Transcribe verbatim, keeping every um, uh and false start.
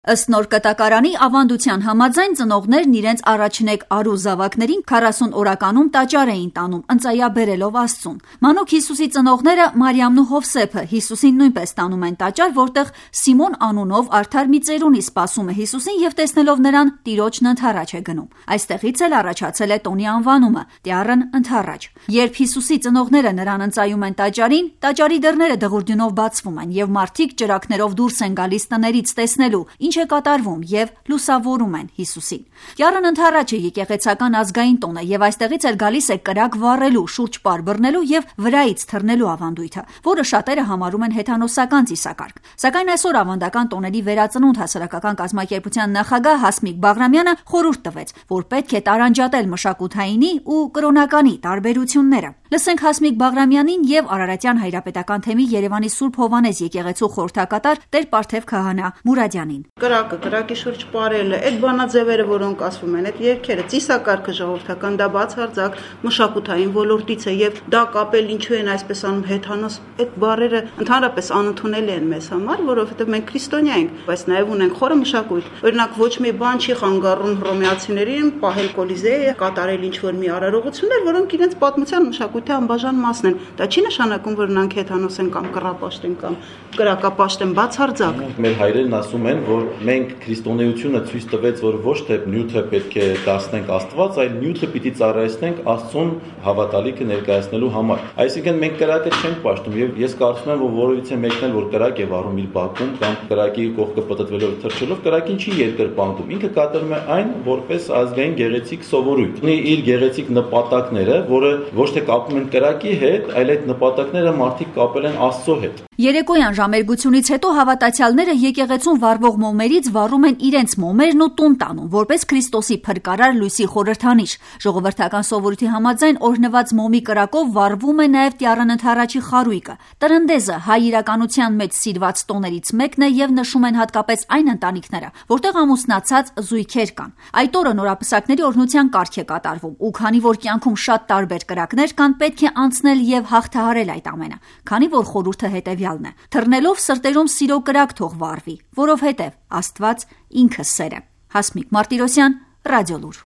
Ըստ նոր կտակարանի ավանդության համաձայն ծնողներն իրենց առաջնեկ արու զավակներին քառասուն օրականում տաճար էին տանում, ընծայաբերելով Աստծուն։ Մանուկ Հիսուսի ծնողները Մարիամն ու Հովսեփը Հիսուսին նույնպես տանում են տաճար, որտեղ Սիմոն անունով արդար մի ծերունի սպասում է Հիսուսին եւ տեսնելով նրան տիրոջն ընդառաջ է գնում։ Այստեղից էլ առաջացել է տոնի անվանումը՝ Տյառն ընդառաջ։ Երբ Հիսուսի ծնողները նրան ընծայում են տաճարին, տաճարի դռները դղուրդյունով բացվում են եւ մարդիկ ճրագներով դուրս են գալիս տներից տեսնելու ինչ է կատարվում եւ լուսավորում են Հիսուսին։ Տյառն ընդառաջ է եկեղեցական ազգային տոնը եւ այստեղից էլ գալիս է կրակ վառելու, շուրջ պար բռնելու եւ վրայից թռնելու ավանդույթը, որը շատերը համարում են հեթանոսական ծիսակարգ։ Սակայն այսօր ավանդական տոների վերածնունդ հասարակական կազմակերպության նախագահ Հասմիկ Բաղրամյանը խորհուրդ տվեց, որ պետք է տարանջատել մշակութայինի ու կրոնականի տարբերությունները։ Լսենք Հասմիկ Բաղրամյանին եւ Արարատյան հայրապետական թեմի Երևանի Սուրբ Հովանես եկեղեցու խորհրդակատար Տեր Պարթև քահանա Մուրադյանին։ Կրակը, կրակի շուրջ պարելը, այդ բանաձևերը, որոնք ասվում են, այդ երգերը, ծիսակարգը ժողովրդական, դա բացարձակ մշակութային ոլորտից է եւ դա կապել ինչու են այսպես անում հեթանոս, այդ բառերը ընդհանրապես անընդունելի են մեզ համար, որովհետեւ մենք քրիստոնյա ենք, բայց նաեւ ունենք խորը մշակույթ։ Օրինակ ոչ մի բան չի խանգարում հռոմեացիներին պահել Կոլիզեյը, կատարել ինչ-որ մի արարողություններ, որոնք իրենց պատմության մշակույթի անբաժան մասն են։ Դա չի նշանակում, որ նրանք հեթանոս են կամ կռապաշտ են կամ կրակապաշտ են, բացարձակ։ Մեր հայրերն ասում են, որ մենք քրիստոնեությունը ցույց տվեց, որ ոչ թե նյութը պետք է դարձնենք Աստված, այլ նյութը պիտի ծառայեցնենք Աստծուն հավատալիքը ներկայացնելու համար։ Այսինքն մենք կրակը չենք պաշտում եւ ես կարծում եմ, որ որևիցե մեկն էլ որ կրակ է վառում իր բակում կամ կրակի կողքը պատտվելով թռչելով, կրակին չի երկրպագում։ Ինքը կատարում է այն որպես ազգային գեղեցիկ սովորույթ։ Ունի իր գեղեցիկ նպատակները, որը ոչ թե կապում են կրակի հետ, այլ այդ նպատակները մարդիկ կապել են Աստծո հետ։ Երեկոյան ժամերգությունից հետո հավատացյալները եկեղեցուն վառվող մոմերից վառում են իրենց մոմերն ու տուն տանում, որպես Քրիստոսի փրկարար լույսի խորհրդանիշ։ Ժողովրդական սովորույթի համաձայն օրհնված մոմի կրակով վառվում է նաև Տյառն ընդառաջի խարույկը։ Տրնդեզը հայ իրականության մեջ սիրված տոներից մեկն է եւ նշում են հատկապես այն ընտանիքները, որտեղ ամուսնացած զույգեր կան։ Այդ օրը նորապսակների օրհնության կարգ է կատարվում, ու քանի որ կյանքում շատ տարբեր կրակներ կան, պետք է անցնել եւ հաղթահարել այդ ամենը։ Քանի որ խորհուրդը հետեւյալն է. թռնելով սրտերում սիրո կրակ թող վառվի, որովհետև Աստված ինքը սեր է։ Հասմիկ Մարտիրոսյան, Ռադիոլուր։